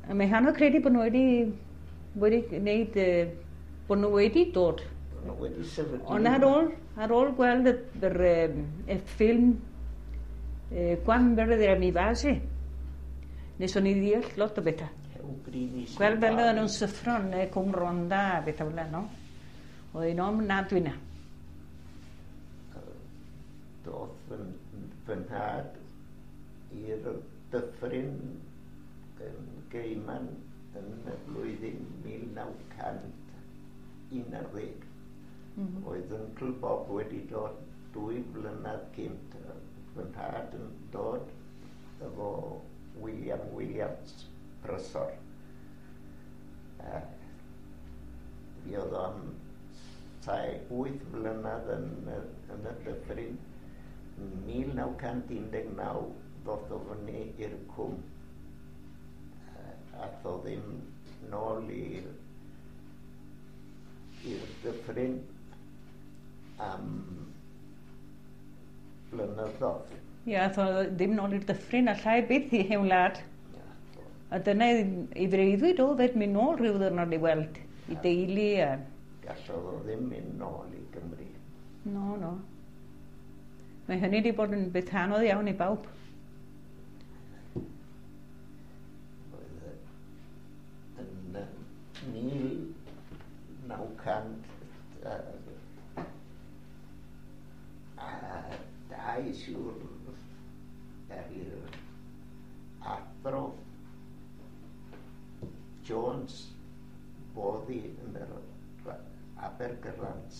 A mae hano credu bod nhw wedi, wedi gwneud, bod nhw wedi dod. Bod nhw wedi sefydlu. Ond ar ôl, ar ôl gweld y, yr, y ffilm Gwan Beredd mi fase, nes o'n i ddeall lot o bethau. Gweld fel oedden nhw'n syffro yn Cwm Rhondda a bethau fel yna, no? Oedd hi'n ofnadwy na. Doth fy, fy nhad i'r dyffryn yn Gaiman yn y flwyddyn 1911. Oedd Uncle Bob wedi dod 2 flynedd cynt. Fy nhad yn dod efo William Williams, Prysor. Fi oedd o am 8 flynedd yn y dyffryn. 1919 ddoth o fyny i'r cwm. Ath o ddim nôl i'r dyffryn am blynyddoedd. Ie, ath o ddim nôl i'r dyffryn, a llai byth i hen wlad. A dyna ei freuddwyd o fed mynd nôl rhyw ddwrnod i weld i deulu. A... Gallodd o ddim mynd nôl i Gymru. No, no. Mae hynny wedi bod yn beth anodd iawn i bawb. Oedd yn 1902 siŵr er i'r athro Jones boddi yn yr Abergyrant,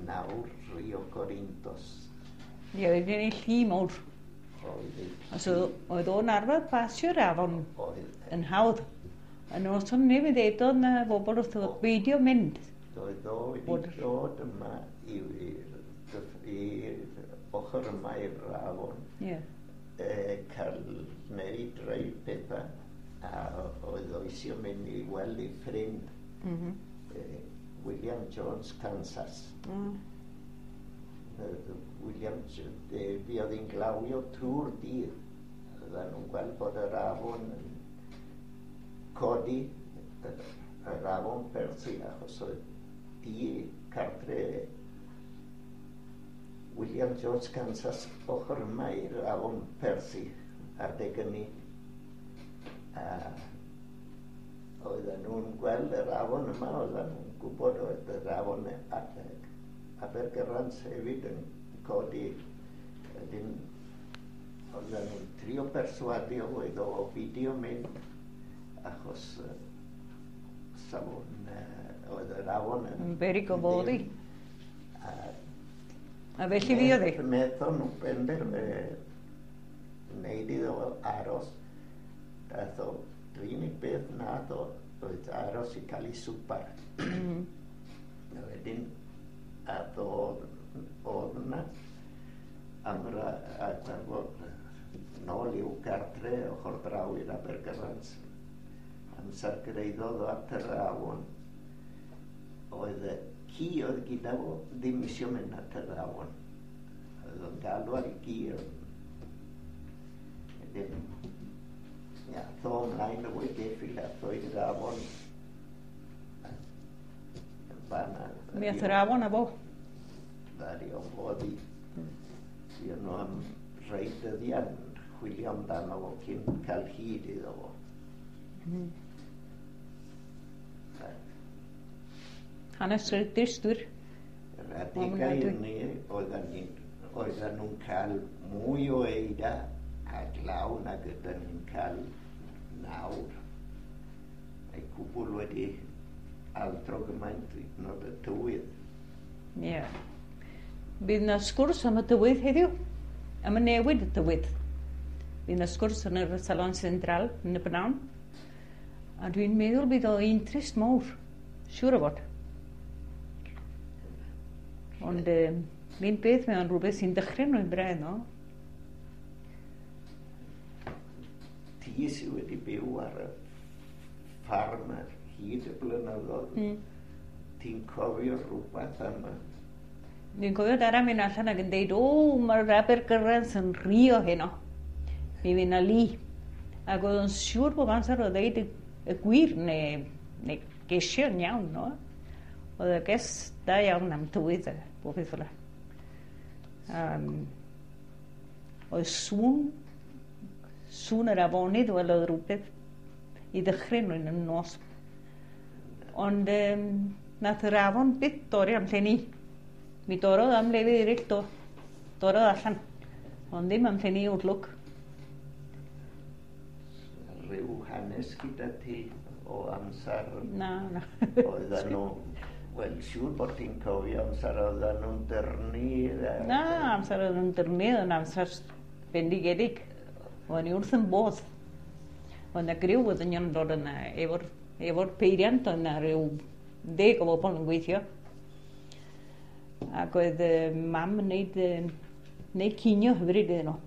nawr Rio Corintos. Ie, oedd gen i llu mawr. So, oedd o'n arfer pasio'r afon yn hawdd. A noson ni mi ddedodd na bobl wrth o beidio mynd. Oedd o wedi dod yma i'r ochr yma i'r afon. Yeah. Cael wneud rhai pethau. A oedd o eisiau mynd i weld ei ffrind. William Jones, Kansas. William, fi oedd hi'n glawio trwy'r dydd. Oedden nhw'n gweld bod yr afon yn codi, yr afon Perthi, achos oedd di cartre William Jones, Kansas, ochr yma i'r afon Perthi, adeg hynny. A oedden nhw'n gweld yr afon yma, oedden nhw'n gwybod oedd yr afon Abergyrant hefyd yn codi. Wedyn oedden nhw'n trio perswadio oedd o beidio mynd, achos safon oedd yr afon yn beryg o foddi. A felly fi oedd hi? Wnaethon nhw benderfynu wneud iddo aros. Daeth o, yr unig beth nath o oedd aros i cael ei swpar. A wedyn ath o oedd yna am yr nôl i'w gartre ochr draw i'r Abergyrant. Amser gyrhaeddodd o at yr afon, oedd y ci oedd gyda fo ddim eisiau mynd at yr afon. Oedd o'n galw ar ei gi. Wedyn, ath o ymlaen efo'i geffyl, ath o i'r afon. Mi ath yr afon â fo. Ddaru o foddi. Fuon nhw am rhai dyddiau yn chwilio amdano fo cyn cael hyd iddo fo. Hanes dristwyr. Yr adegau hynny oedden nhw'n cael mwy o eira a glaw nag ydyn ni'n cael nawr. Mae cwbl wedi altro gymaint hyd yn oed y tywydd. Ie. Bydd yna sgwrs am y tywydd heddiw, am y newid y tywydd. Bydd yna sgwrs yn yr Salon Central yn y bnawn. A dwi'n meddwl bydd o interest mawr, siŵr o fod. Ond un beth, mae o'n rhywbeth sy'n dychryn nhw'n braidd, no? Ti sydd wedi byw ar y ffarm ar hyd y blynyddoedd, ti'n cofio rhywbeth am y... Dwi'n cofio dara mynd allan ac yn deud, o, mae'r Abergyrant yn rhio heno. Mi fydd 'na li. Ac oedd o'n siŵr bob amser o ddeud y gwir neu gesio'n iawn, no? Oedd y ges da iawn am tywydd a bob peth fel 'na. Oedd sŵn yr afonydd wel oedd rhywbeth i ddychryn rhywun yn y nos. Ond nath yr afon byth dorri am lle ni. Mi dorrodd am lefydd eraill do. Dorrodd allan. Ond ddim am lle ni wrth lwc. Rhyw hanes gyda ti o amser Na, na. Oedden nhw, wel, siŵr bod ti'n cofio amser oedden nhw'n dyrnu. Na, amser oedd nhw'n dyrnu, oedd yn amser bendigedig. O'n i wrth yn bodd. Oedd yna griw o ddynion yn dod yna efo'r peiriant, oedd yna rhyw 10 o bobl yn gweithio. Ac oedd mam yn neud cinio hyfryd iddyn nhw.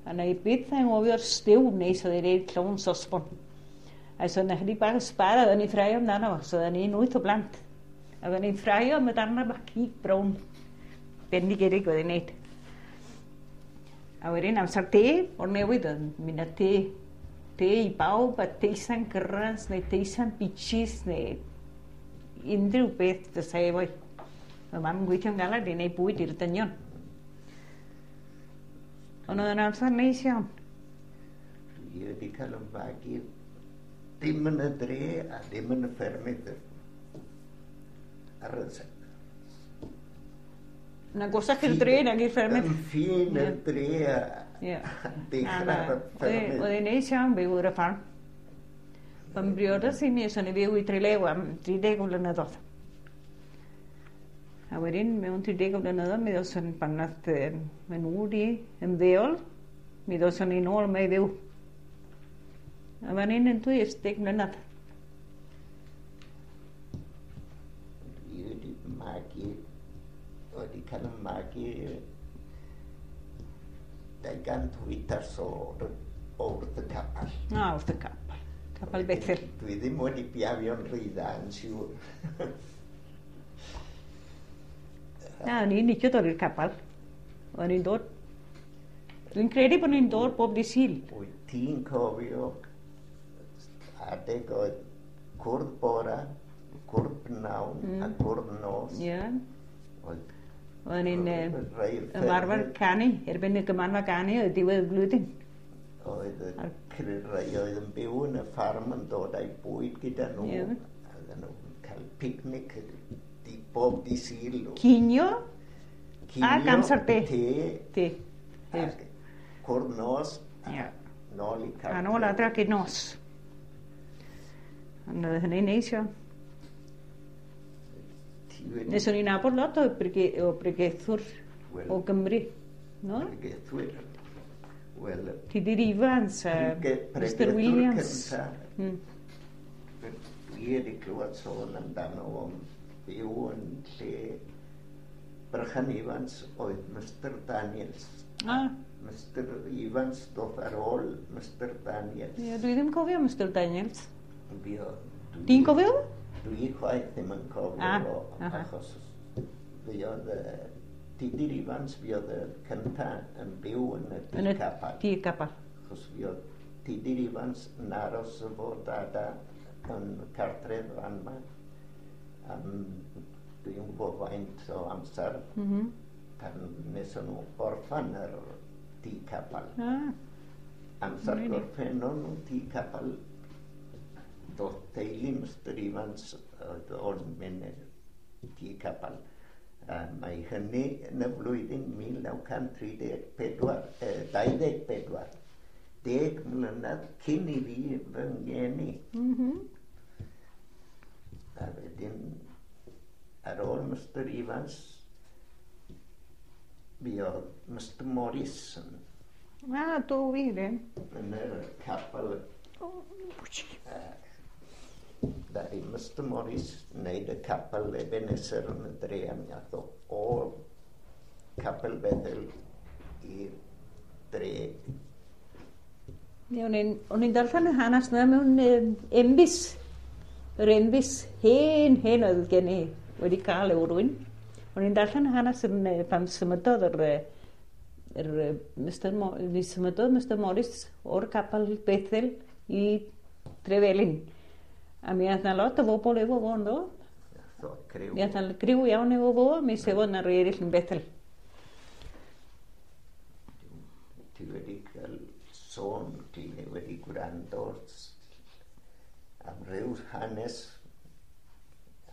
A na i byth anghofio'r stew neis oedd ei wneud llawn sosbon. A so yna chydig bach o sbar a oedden ni'n ffraeo amdano fo, so oedden ni'n 8 o blant. A oedden ni'n ffraeo am y darnau bach cig brown bendigedig oedd ei wneud. A wedyn amser te, o'r newydd oedd mynd â te. Te i bawb, a teisan gyrras, neu teisan bitches, neu unrhyw beth fysa efo'i. Mae mam yn gweithio'n galed i wneud bwyd i'r dynion. Ond oedd yn amser neis iawn. Dwi wedi cael yn fagu dim yn y dre a ddim yn y ffermydd ar y Yn agosach i'r dre nag i'r ffermydd. Yn ffin y dre a dechrau ar y ffermydd. Oedd hi'n neis iawn byw ar y ffarm. Pan briodas i mi, so ni fyw i Trelew am 30 o flynyddoedd. A wedyn, mewn 30 o blynyddoedd, mi ddoson pan nath fy nhw di ymddeol, mi ddoson ni nôl yma i fyw. A fan hyn yn 20 mlynedd. Dwi wedi magu, wedi cael yn magu 208 o wrth y capel. Na, wrth y capel. Capel Bethel. Dwi ddim wedi biafio'n rhy dda, yn siŵr. Na, o'n i'n licio dod i'r capel. O'n i'n dod. Dwi'n credu bod ni'n dod bob dydd Sul. Wyt ti'n cofio adeg oedd cwrdd bora, cwrdd pnawn a cwrdd nos. Ie. Oedd O'n i'n rhai ymarfer canu, erbyn y gymanfa ganu oedd diwedd y flwyddyn. Oedd y rhai oedd yn byw yn y ffarm yn dod â'i bwyd gyda nhw. Oedden nhw'n cael picnic bob dydd Sul. Cinio ac amser te. Te. Ac cwrdd nos. Nôl i cartref. A nôl adra gyd nos. Ond oedd hynny'n neis iawn. Nes o'n i'n nabod lot o bregethwr o Gymru. No? Pregethwyr. Wel, Tudur Ifans a Mr Williams. Dwi wedi clywed sôn amdano o'n byw yn lle Brychan Ifans oedd Mr Daniels. Mr Ifans doth ar ôl Mr Daniels. Ie, dwi ddim cofio Mr Daniels. Ti'n cofio? Dwi chwaith ddim yn cofio achos fi oedd Tudur Ifans fi oedd y cynta yn byw yn y tŷ capel. Tŷ capel. Achos fi oedd Tudur Ifans yn aros efo dada yn cartref fan yma. Dwi'n gwybod faint o amser pan wnaethon nhw orffan yr tŷ capel. Amser gorffennon nhw tŷ capel, doedd teulu Mr Ifans oedd o'n mynd i'r tŷ capel. Mae hynny yn y flwyddyn 1934, 24, 10 mlynedd cyn i fi fy ngeni. A wedyn, ar ôl Mr Ifans, fi oedd Mr Morris yn... Do wir, e? Yn y capel. Ddaru Mr Morris wneud y capel Ebenezer yn y dre, a mi ath o Capel Bethel i'r dre. Ie, o'n i'n darllen y hanes yna mewn embys. Yr embys hen oedd gen i wedi cael efo rhywun. O'n i'n darllen y hanes yn pan symudodd yr Mr. Mi symudodd Mr Morris o'r capel Bethel i Trevelin. A mi ath 'na lot o bobl efo fo ynddo. Criw. Mi ath 'na griw iawn efo fo, mi sefodd 'na rei eraill yn Bethel. Ti wedi cael sôn, ti wedi gwrando am ryw hanes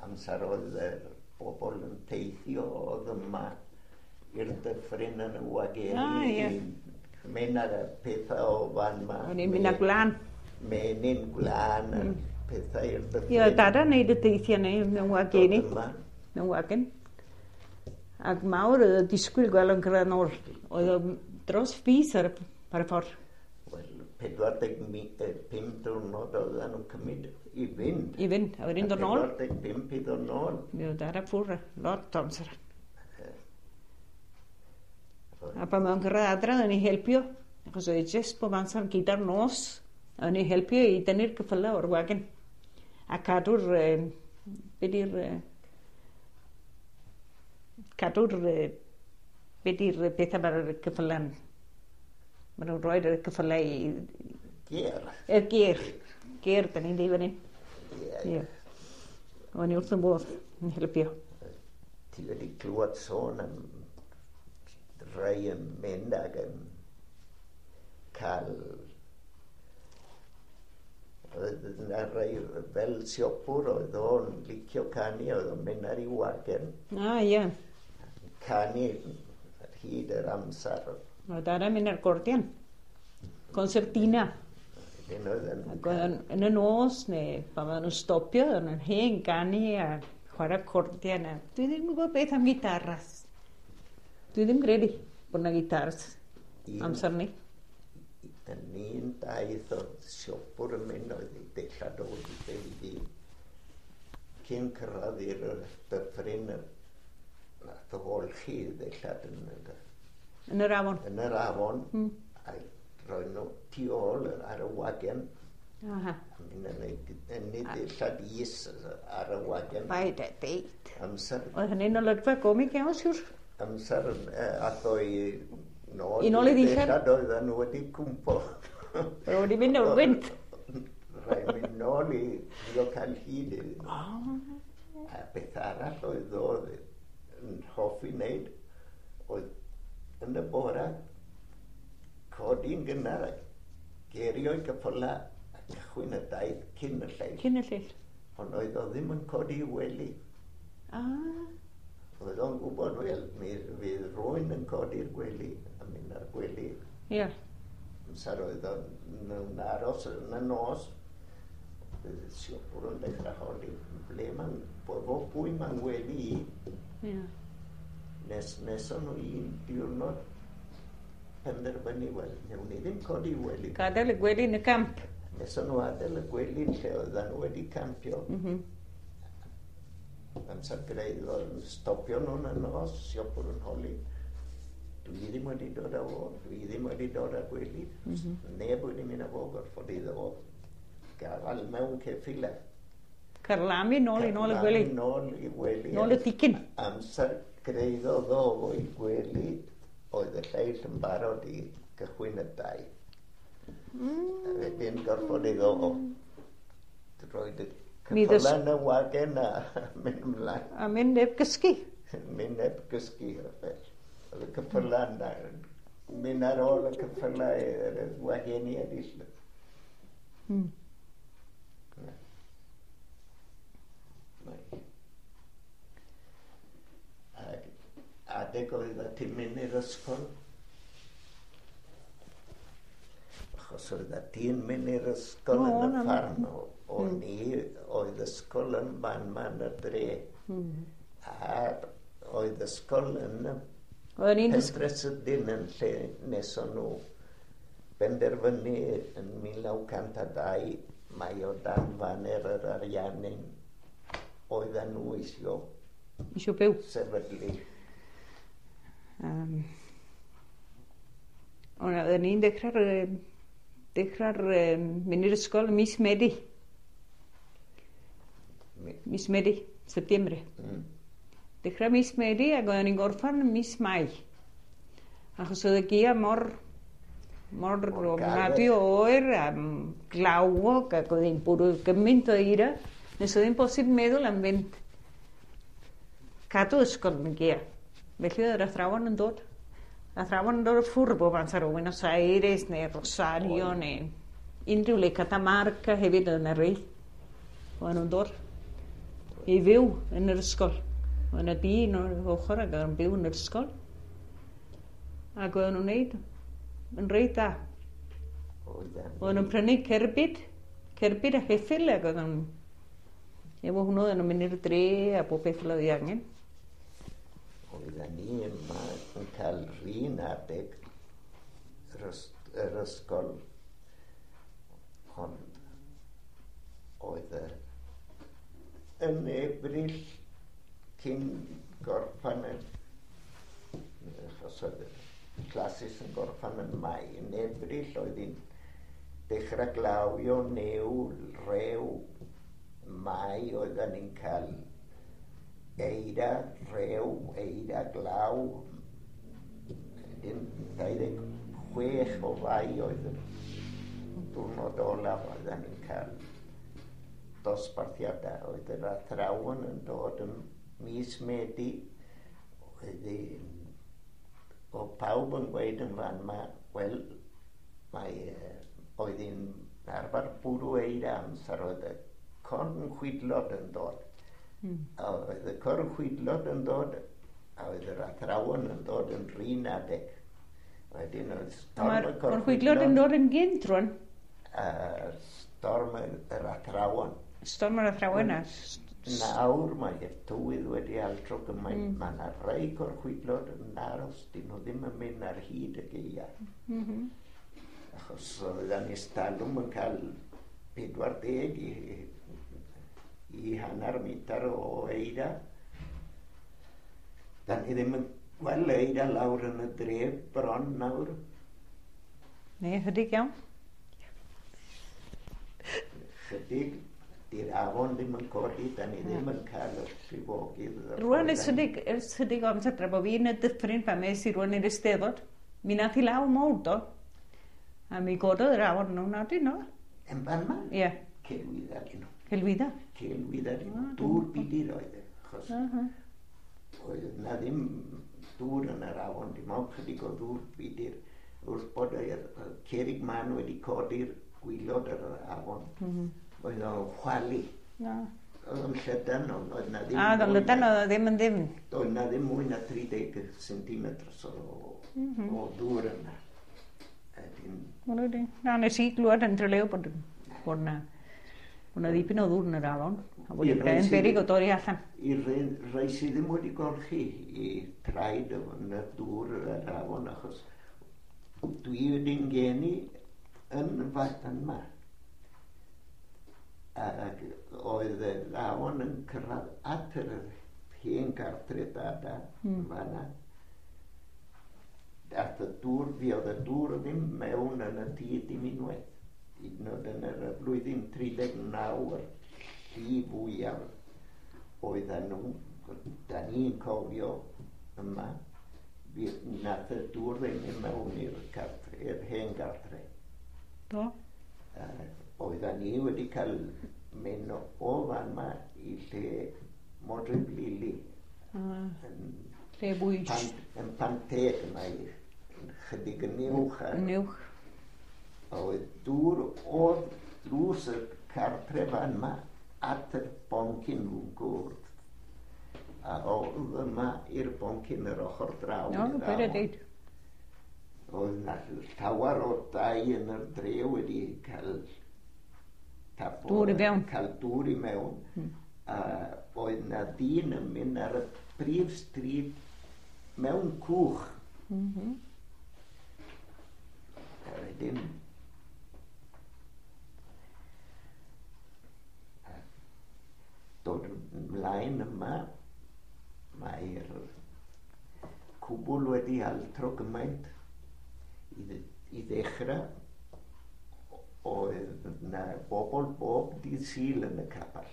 amser oedd y bobl yn teithio oedd yma i'r dyffryn yn y wageni. Ah, ie. Mynd ar y pethau o fan ma. O'n i'n mynd â gwlân. Menyn gwlân a pethau i'r dyffryn. Ie, oedd dada'n neud y deithiau neu mewn wageni. Dod yma. Mewn wagen. Ac mawr oedd y disgwyl gweld o'n cyrraedd nôl. Oedd o dros fis ar y ffordd. Wel, 45 diwrnod oedden nhw'n cymryd i fynd. I fynd, a wedyn dod nôl. 45 i ddod nôl. Mi oedd dada ffwrdd lot o amser. A pan mae'n cyrraedd adra, o'n i helpu, achos oedd jyst bob amser gyda'r nos, o'n i helpu i dynnu'r ceffylau o'r wagen. A cadw'r, be di'r, cadw'r, be di'r pethau mae'r ceffylau'n, maen nhw'n rhoi'r ceffylau i... Gêr. Y gêr. Gêr, da ni'n dweud fan hyn. Ie. Ie. O'n i wrth yn bodd yn helpu. Ti wedi clywed sôn am rhai yn mynd ac yn cael... Oedd yna rhai fel siopwr oedd o'n licio canu, oedd o'n mynd ar ei wagen. Ah, ie. Canu ar hyd yr amser. Oedd dada'n mynd ar gordian. Concertina. Wedyn oedd yn... Ac oedd yn, yn y nos, neu pan oedden nhw'n stopio, oedden nhw'n hen ganu a chwarae cordian. A dwi ddim yn gwybod beth am gitaras. Dwi ddim credu bod yna gitars amser ni. Yn un daith oedd siopwr yn mynd oedd ei dillad o wedi iddi cyn cyrraedd i'r dyffryn nath o olchi ei ddillad yn Yn yr afon. Yn yr afon. A roi nhw tu ôl ar y wagen. Aha. A mynd yn ei ddillad is ar y wagen. Paid a deud. Amser. Oedd hynny'n olygfa gomig iawn, siwr. Amser ath o i nôl I nôl i ddillad. Oedden nhw wedi cwmpo. Oedd wedi mynd o'r gwynt. Rhaid mynd nôl i drio cael hyd iddyn nhw. A beth arall oedd oedd yn hoffi wneud oedd yn y bora codi'n gynnar a gerio'i gyffyla a cychwyn y daith cyn y lleill. Cyn y lleill. Ond oedd o ddim yn codi i wely. Ah. Oedd o'n gwybod, wel, mi fydd rhywun yn codi'r gwely a mynd ar gwely. Ie. Amser oedd o'n aros yn y nos, bydd siopwr yn dechrau holi, ble ma'n, bo pwy ma'n gwely i. Ie. Nes o'n nhw un diwrnod penderfynu, wel, newn ni ddim codi wely. Gadael y gwely yn y camp. Nes o'n nhw adael y gwely yn lle oedden nhw wedi campio. Amser greu oedd stopio nhw'n y nos, siopwr yn holi. Dwi ddim wedi dod â fo, dwi ddim wedi dod â gwely. Neb wedi mynd â fo, gorfod iddo fo gafael mewn ceffylau. Carlamu nôl i nôl y gwely. Carlamu nôl i gwely. Nôl y ticyn. Amser greiddodd o fo i gwely, oedd y lleill yn barod i gychwyn y daith. A wedyn gorfod iddo fo roed y ceffylau yn y wagen a mynd ymlaen. A mynd heb gysgu. Mynd heb gysgu. Oedd y ceffylau yna, mynd ar ôl y ceffylau i'r wageni eraill. Ac adeg oedd ti'n mynd i'r ysgol, achos oedd ti'n mynd i'r ysgol yn y ffarm, o'n i oedd ysgol yn fan ma'n y dre, a oedd ysgol yn y Pentre Sydyn yn lle nes o'n nhw benderfynu yn 1902 mai o dan faner yr Ariannin oedden nhw isio byw. Sefydlu. Oedden ni'n dechrau'r mynd i'r ysgol mis Medi. Mis Medi, Septembre. Dechrau mis Medi ac oedden ni'n gorffan mis Mai. Achos oedd y gia mor ofnadwy o oer a glawog ac oedd hi'n bwrw gymaint o eira nes oedd hi'n bosib meddwl am fynd cadw ysgol yn y gia. Felly oedd yr athrawon yn dod. Athrawon yn dod o ffwrdd bob amser o Buenos Aires neu Rosario neu unrhyw le, Catamarca hefyd oedd yna rei. Oedden nhw'n dod i fyw yn yr ysgol. Oedd yna dyn o'r ochr ac oedd yn byw yn yr ysgol. Ac oedden nhw'n neud yn reit dda. Oedden nhw'n prynu cerbyd a heffyl ac oedden nhw'n efo hwnnw oedden nhw'n mynd i'r dre a bob beth fel oedd ei angen. Oedden ni yma yn cael rhan adeg yr ysgol, ond oedd yn Ebrill cyn gorffan achos oedd y classes yn gorffan yn Mai, yn Ebrill oedd hi'n dechrau glawio, niwl, rhew. Mai oedden ni'n cael eira, rhew, eira, glaw. Wedyn 26 o Fai oedd y diwrnod olaf oedden ni'n cael dosbarthiadau. Oedd yr athrawon yn dod yn mis Medi. Oedd pawb yn gweud yn fan ma, wel, oedd hi'n arfer bwrw eira amser oedd y cornchwydlod yn dod. A oedd y cornchwydlod yn dod, a oedd yr athrawon yn dod yn rhan adeg. Wedyn oedd storm y cornchwydlod. Cornchwydlod yn dod yn gynt rwan? Storm yr athrawon. Storm yr athrawon a... Nawr mae'r tywydd wedi altro gymaint. Mae yna rai cornchwydlod yn aros, dyn nhw ddim yn mynd ar hyd y gaeaf. Achos oedden ni stalwm yn cael 40 i hanner metr o eira. Da ni ddim yn gweld eira lawr yn y dref bron nawr. Ne, chydig iawn. Chydig, di'r afon ddim yn codi, da ni ddim yn cael y llifogydd. Rwan ers chydig o amser tra bod fi yn y dyffryn pan mes i rwan i'r Eisteddfod, mi nath i law mowr do. A mi gododd yr afon nhw'n adyn no. Yn fan ma? Ie. Celwydda dyn nhw. Celwydda? Celwydda dyn nhw. Dŵr budur oedd e, achos oedd na ddim dŵr yn yr afon, dim ond chydig o ddŵr budur. Wrth bod y cerrig man wedi codi'r gwylod yr afon, oedd o'n chwalu. Oedd o'n llydan, oedd na ddim... Oedd o'n llydan, oedd ddim yn ddim. Oedd na ddim mwy na 30 cm o ddŵr yna. Na, nes i glwad yn Trelew bod na ddipyn o ddŵr yn yr afon, a bod yn beryg o dorri allan. I rai sydd ddim wedi golchi i traed yn y dŵr yr afon, achos dwi wedi'n geni yn fan yma. Ac oedd yr afon yn cyrraedd at yr hen gartre dada yn fanna. Ath y dŵr, fi oedd y dŵr ddim mewn yn y tŷ dim unwaith. Hyd yn oed yn yr flwyddyn 39, yr lli fwyaf oedden nhw, da ni'n cofio yma, nath y dŵr ddim i mewn i'r cartre, i'r hen gartre. Do. Oedden ni wedi cael mynd o fan ma i lle Modryb Lili. Lle bwyd. Yn Panteg mae chydig yn uwch. Yn uwch. Oedd dŵr o'r drws y cartre fan ma at y boncyn nhw'n gwrdd. A oedd yma i'r boncyn yr ochr draw. No, beth y deud. Oedd na llawer o dai yn yr dre wedi cael dŵr i mewn. Cael dŵr i mewn. A oedd na ddyn yn mynd ar y prif stryd mewn cwch. A wedyn dod ymlaen yma, mae'r cwbl wedi altro gymaint. I ddechrau, oedd na bobl bob dydd Sul yn y capel.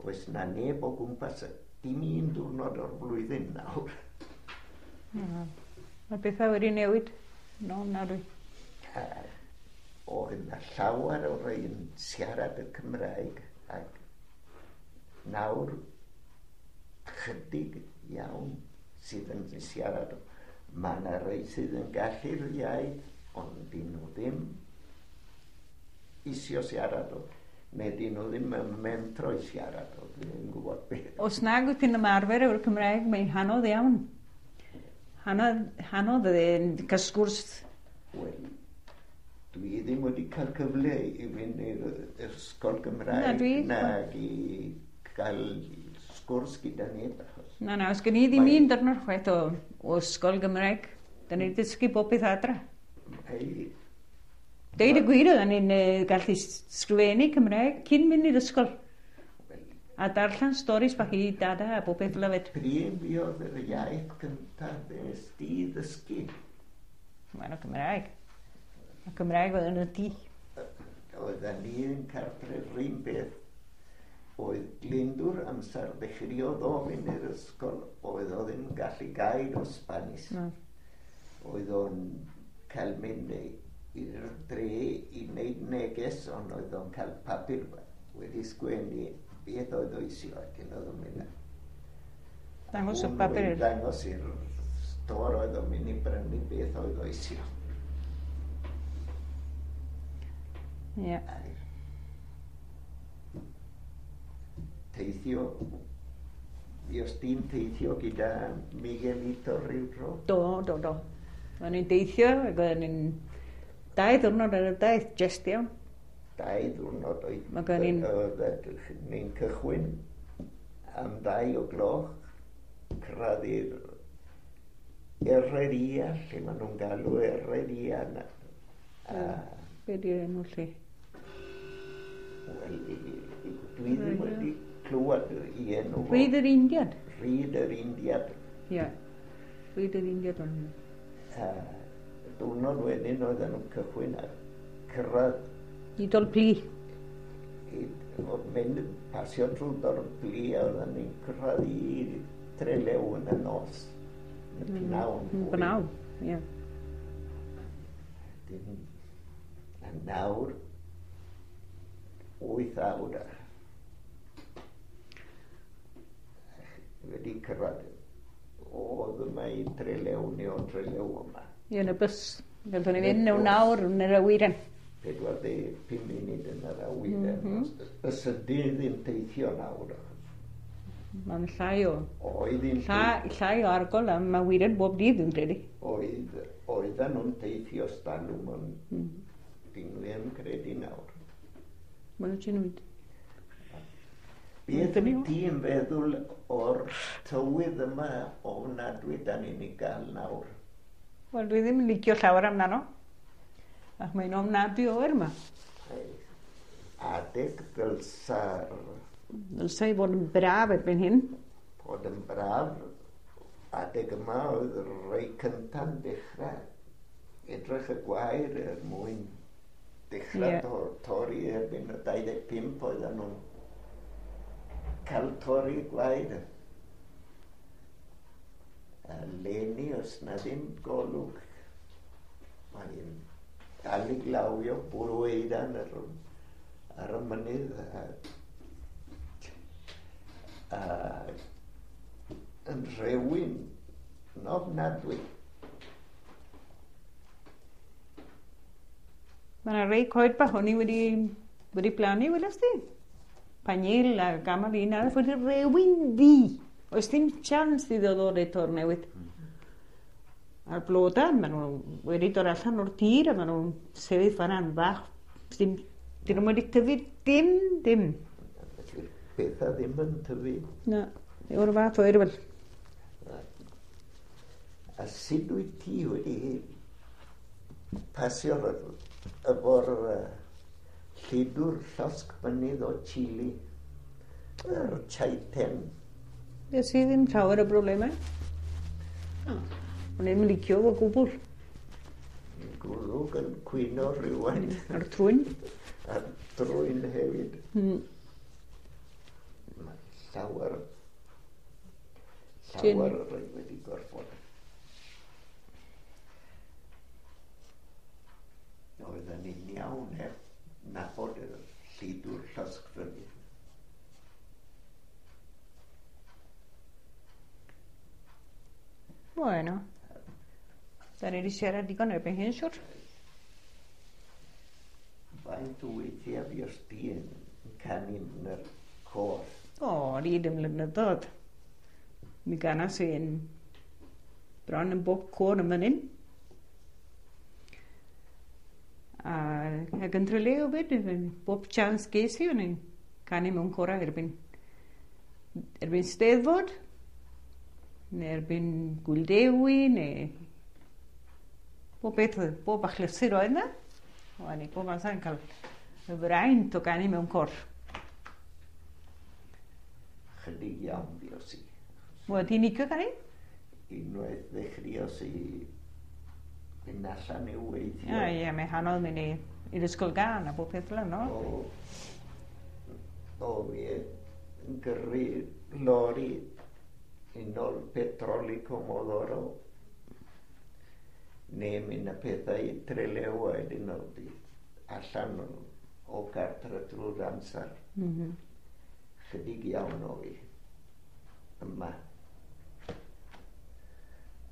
Oes na neb o gwmpas, dim un diwrnod o'r blwyddyn nawr. Mae bethau wedi newid. No, na dwi. Oedd yna llawer o rei yn siarad y Cymraeg ac nawr chydig iawn sydd yn siarad. Mae yna rei sydd yn gallu'r iaith, ond dyn nhw ddim isio siarad o. Neu dyn nhw ddim yn mentro i siarad o. Dwi ddim yn gwybod beth. Os nag wyt ti'n ymarfer efo'r Cymraeg, mae'n anodd iawn. Anodd yn cael sgwrs. Wel, dwi ddim wedi cael cyfle i fynd i'r ysgol Gymraeg. Na, dwi. Nag i gael sgwrs gyda neb. Achos Na, os gen i ddim un dyrnod chwaith o ysgol Gymraeg. Da ni'n dysgu bob beth adra. Deud y gwir, oedden ni'n gallu sgrifennu Cymraeg cyn mynd i'r ysgol. A darllen storis bach i dada a bob beth fel hefyd. Pryd fuodd yr iaith cyntaf nes di ddysgu? Mae'n o Cymraeg. A Cymraeg oedd yn y tŷ. Oedden ni yn cartref yr un beth. Oedd Glyndwr amser ddechreuodd o fynd i'r ysgol, oedd o ddim yn gallu gair o Spanish. No. Oedd o'n cael mynd i'r dre i wneud neges, ond oedd o'n cael papur wedi sgwennu beth oedd o isio, ac oedd o'n mynd. Dangos y papur. Dangos i'r stor oedd o'n mynd i brynu beth oedd o isio. Ie. Teithio, os ti'n teithio gyda Miguelito rhyw dro? Do. O'n i'n deithio, ac o'n i'n 2 diwrnod ar y daith, jest iawn. 2 diwrnod oedd. Mae gen i'n ni'n cychwyn am 2 o gloch, cyrraedd i'r Herreria, lle maen nhw'n galw Herreria. Be di'r enw lle? Wel, dwi ddim wedi clywed i enw. Rhyd yr Indiad. Rhyd yr Indiad. Ie, Rhyd yr Indiad o'n nhw. Diwrnod wedyn oedden nhw'n cychwyn a cyrraedd. I Dolpli. Oedd mynd pasio trwy Dolpli a oedden ni'n cyrraedd i Trelew yn y nos. Yn y pnawn. Pnawn, ie. A nawr, 8 awr. Wedi cyrraedd. Oedd yma i Trelew neu o Trelew yma. Ie, yn y bws. Gallwn ni fynd mewn awr yn yr awyren. 45 munud yn yr awyren. Os ydyn ddim teithio nawr. Mae'n llai o. Oedd hi'n Llai o argol am awyren bob dydd, dwi'n credu. Oedden nhw'n teithio stalwm, ond dyn nhw ddim credu nawr. Mae'n ti'n mynd. Beth wyt ti'n feddwl o'r tywydd yma ofnadwy da ni'n ei gael nawr? Wel, dwi ddim yn licio llawer amdano. Ac mae'n ofnadwy oer yma. Adeg ddylsa'r... Ddylsa i fod yn braf erbyn hyn. Bod yn braf. Adeg yma oedd rhai cynta'n dechrau. Edrych y gwair er mwyn dechrau torri erbyn y 25 oedden nhw'n cael torri gwair. A leni, os na ddim golwg, mae'n dal i glawio bwrw eiran ar y mynydd a yn rhewyn yn ofnadwy. Mae yna rei coed bach o'n i wedi plannu, weles di? Panil a gamal un arall wedi rhewyn ddu. Oes dim chance iddo ddod eto'r newydd. A'r blodau, maen nhw wedi dod allan o'r tir a maen nhw'n sefyll fan'na'n fach. Dyn nhw'n wedi tyfu dim. Pethau ddim yn tyfu. Na, o'r fath oer fel. A sut wyt ti wedi pasio efo'r lludwr llosg mynydd o Chile, yr Chaiten? Nes i ddim llawer o broblemau. O'n i'n licio fo gwbl. Gwrwg yn cwyno rhywfaint. A'r trwyn. A'r trwyn hefyd. Mae llawer rhai wedi gorfod. Oedden ni'n iawn heb nabod y lludwr llosgfynydd. Bueno, da ni wedi siarad digon erbyn hyn, siwr. Faint o weithiau fuost di yn canu yn yr côr? O, ni ddim blynyddoedd. Mi ganas i yn bron yn bob côr yn fan hyn. A ac yn Trelew 'fyd, bob chance ges i, o'n i'n canu mewn corau erbyn Steddfod, neu erbyn Gŵyl Dewi, neu bob beth, bob achlysur oedd yna. O'n i bob amser yn cael y fraint o ganu mewn côr. Chydig iawn fuos i. Wel, ti'n licio canu? Unwaith ddechreuos i fynd allan i weithio. Ie, ie, mae hanodd mynd i'r ysgol gân a bob peth fel yna, no? O, fi yn gyrru lori i nôl petrol i Comodoro neu mynd â pethau i Trelew a wedyn oedd hi allan o gartre drwy'r amser. Chydig iawn o fi yma.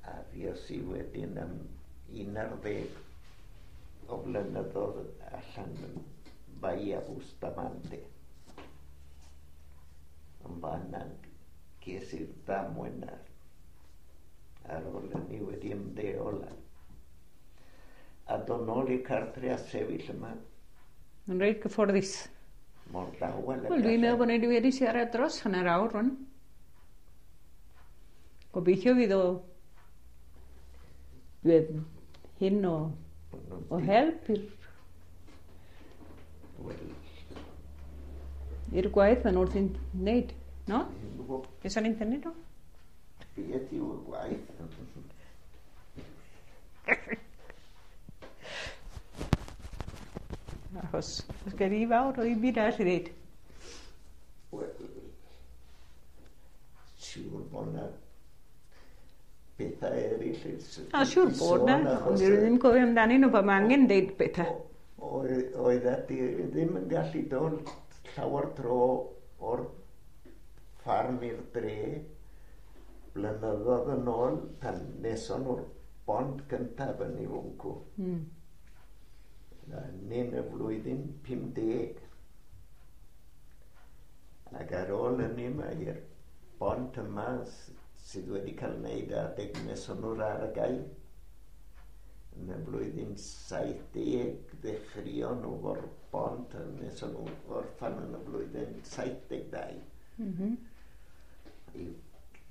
A fues i wedyn am 11 o flynyddoedd allan yn Bahia Bustamante. Yn fan'na ges i'r ddamwain ar ôl hynny wedi ymddeol a dod nôl i'r cartre a sefyll yma. Yn reit gyfforddus. Mor dawel. Wel, dwi'n meddwl bod ni wedi siarad dros hanner awr rwan. Gobeithio fydd o hyn o help i'r gwaith maen nhw wrthi'n wneud, no? Beth o'n i'n tynnu nhw? Beth yw y gwaith? Achos, os gen i fawr o ddim byd arall i ddeud. Wel, siŵr bod 'na bethau eraill O, siŵr bod 'na, ond dwi ddim yn cofio amdanyn nhw, pan mae angen deud pethau. Oeddet ti ddim yn gallu dod llawer tro o'r ffarm i'r dre blynyddoedd yn ôl pan neson nhw'r bont gyntaf yn ei fwncw. Yn y flwyddyn 50. Ac ar ôl hynny mae'r bont yma sydd wedi cael wneud adeg neson nhw'r argau. Yn y flwyddyn 70 ddechreuon nhw o'r bont a neson nhw orffan yn y flwyddyn 72. I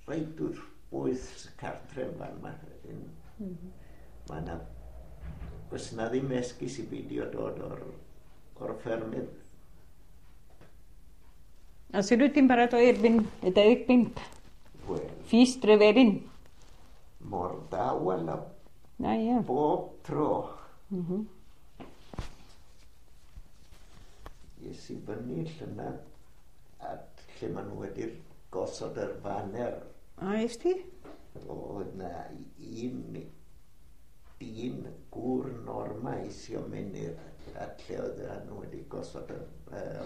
reit wrth bwys cartre yn fan yma. Mae yna, oes yna ddim esgus i beidio dod o'r ffermydd. A sut wyt ti'n paratoi erbyn y 25? Wel, Fis Trefelin. Mor dawel a Na, ie. bob tro. Es i fyny llynedd at lle maen nhw wedi'r gosod yr faner. A es ti? Oedd na un dyn gŵr Norma isio mynd i'r at lle oedd nhw wedi gosod y,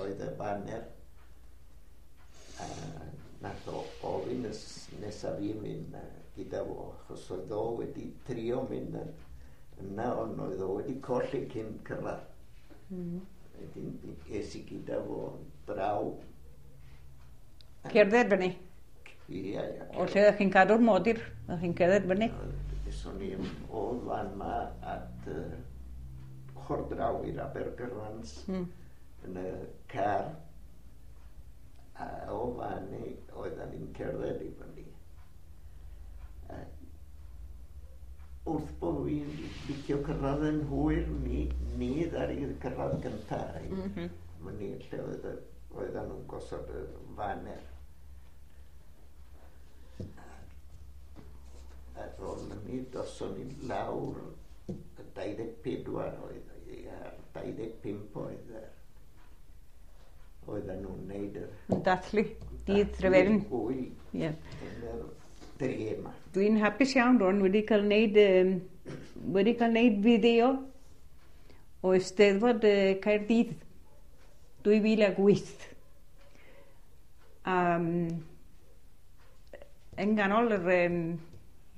oedd y faner. A nath o ofyn nesaf fi mynd gyda fo, achos oedd o wedi trio mynd yna, ond oedd o wedi colli cyn cyrraedd. Wedyn es i gyda fo draw. Cerdded fyny? Ie, ie. O lle ydych chi'n cadw'r modur, ydych chi'n cerdded fyny? Eson ni o fan ma at ochr draw i'r Abergyrrans yn y car. A o fan ni oedden ni'n cerdded i fyny. Wrth bod fi'n licio cyrraedd yn hwyr, ni ddaru cyrraedd gyntaf. Myny lle oedden nhw'n gosod y faner. Ar ôl hynny, doson ni lawr y 24 oedd, a'r 25 oedd. Oedden nhw'n neud yr Yn dathlu dydd Trefelin. Gwyl Ie. yn yr dre yma. Dwi'n hapus iawn rwan wedi cael neud fideo o Eisteddfod Caerdydd 2008. Yn ganol yr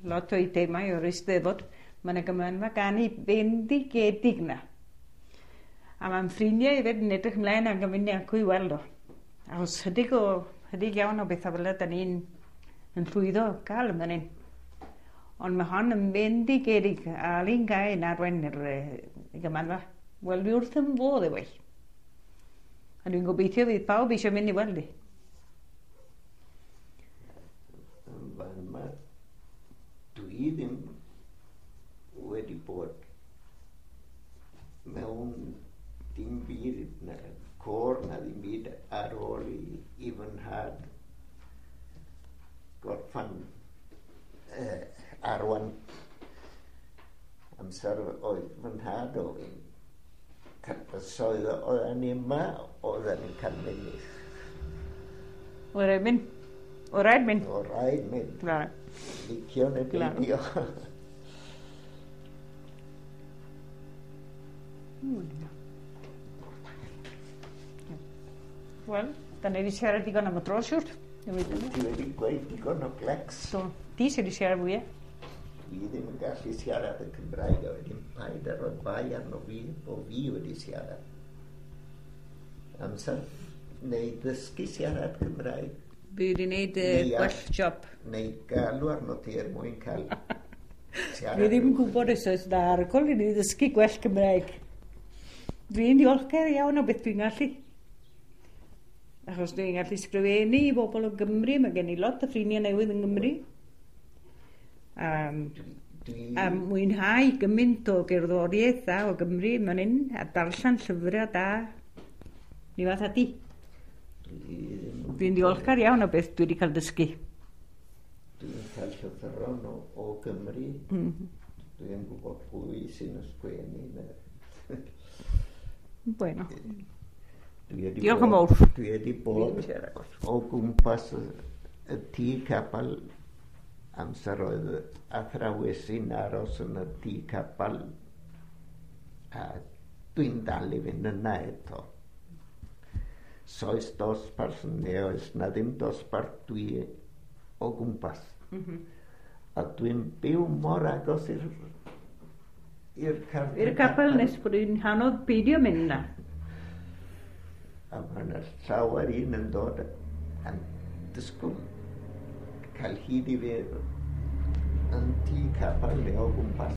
lot o'i themau o'r Eisteddfod, mae yna gymanfa ganu bendigedig na. A mae'n ffrindiau hefyd yn edrych ymlaen ac yn mynd acw i weld o. Achos chydig iawn o bethau fel yna, da ni'n yn llwyddo gael yn fan hyn. Ond mae hon yn bendigedig a Alun Guy yn arwain yr gymanfa. Wel, dwi wrth yn fodd efo hi. A dwi'n gobeithio fydd pawb eisiau mynd i weld hi. Fan yma, dwi ddim wedi bod mewn dim byd na côr na ddim byd ar ôl i fy nhad gorffan arwain amser oedd fy nhad o so oedden ni yma, oedden ni'n cael mynd. O rhaid mynd. O rhaid mynd. O rhaid mynd. Claro. Licio neu beidio. Wel, da ni wedi siarad digon am y dro, siwr. Ti wedi gweud digon o glecs. So, ti sydd wedi siarad fwyaf. Dwi ddim yn gallu siarad y Cymraeg a wedyn paid ar roi bai arno fi bo fi wedi siarad. Amser neu ddysgu siarad Cymraeg. Fi wedi gwneud gwell job. Neu galw arno ti er mwyn cael siarad. Fi ddim yn gwybod os oes na argol i ni ddysgu gwell Cymraeg. Dwi'n diolchgar iawn o beth dwi'n gallu. Achos dwi'n gallu sgrifennu i bobl o Gymru, mae gen i lot o ffrindiau newydd yng Nghymru. A mwynhau gymaint o gerddoriaeth da o Gymru man hyn, a darllen llyfrau da. Ni fath ati. Dwi'n diolchgar iawn o beth dwi wedi cael dysgu. Dwi'n cael llythyron o Gymru. Dwi'n gwybod pwy sy'n ysgrifennu. Bueno. Diolch yn fawr. Dwi wedi bod o gwmpas y tŷ capel amser oedd athrawes sy'n aros yn y tŷ capel a dwi'n dal i fynd yna eto. Soes dosbarth neu oes na ddim dosbarth dwi o gwmpas. A dwi'n byw mor agos i'r I'r capel nes bod i'n anodd beidio mynd yna. A mae yna llawer un yn dod yn disgwyl cael hyd i fi yn tŷ capel neu o gwmpas.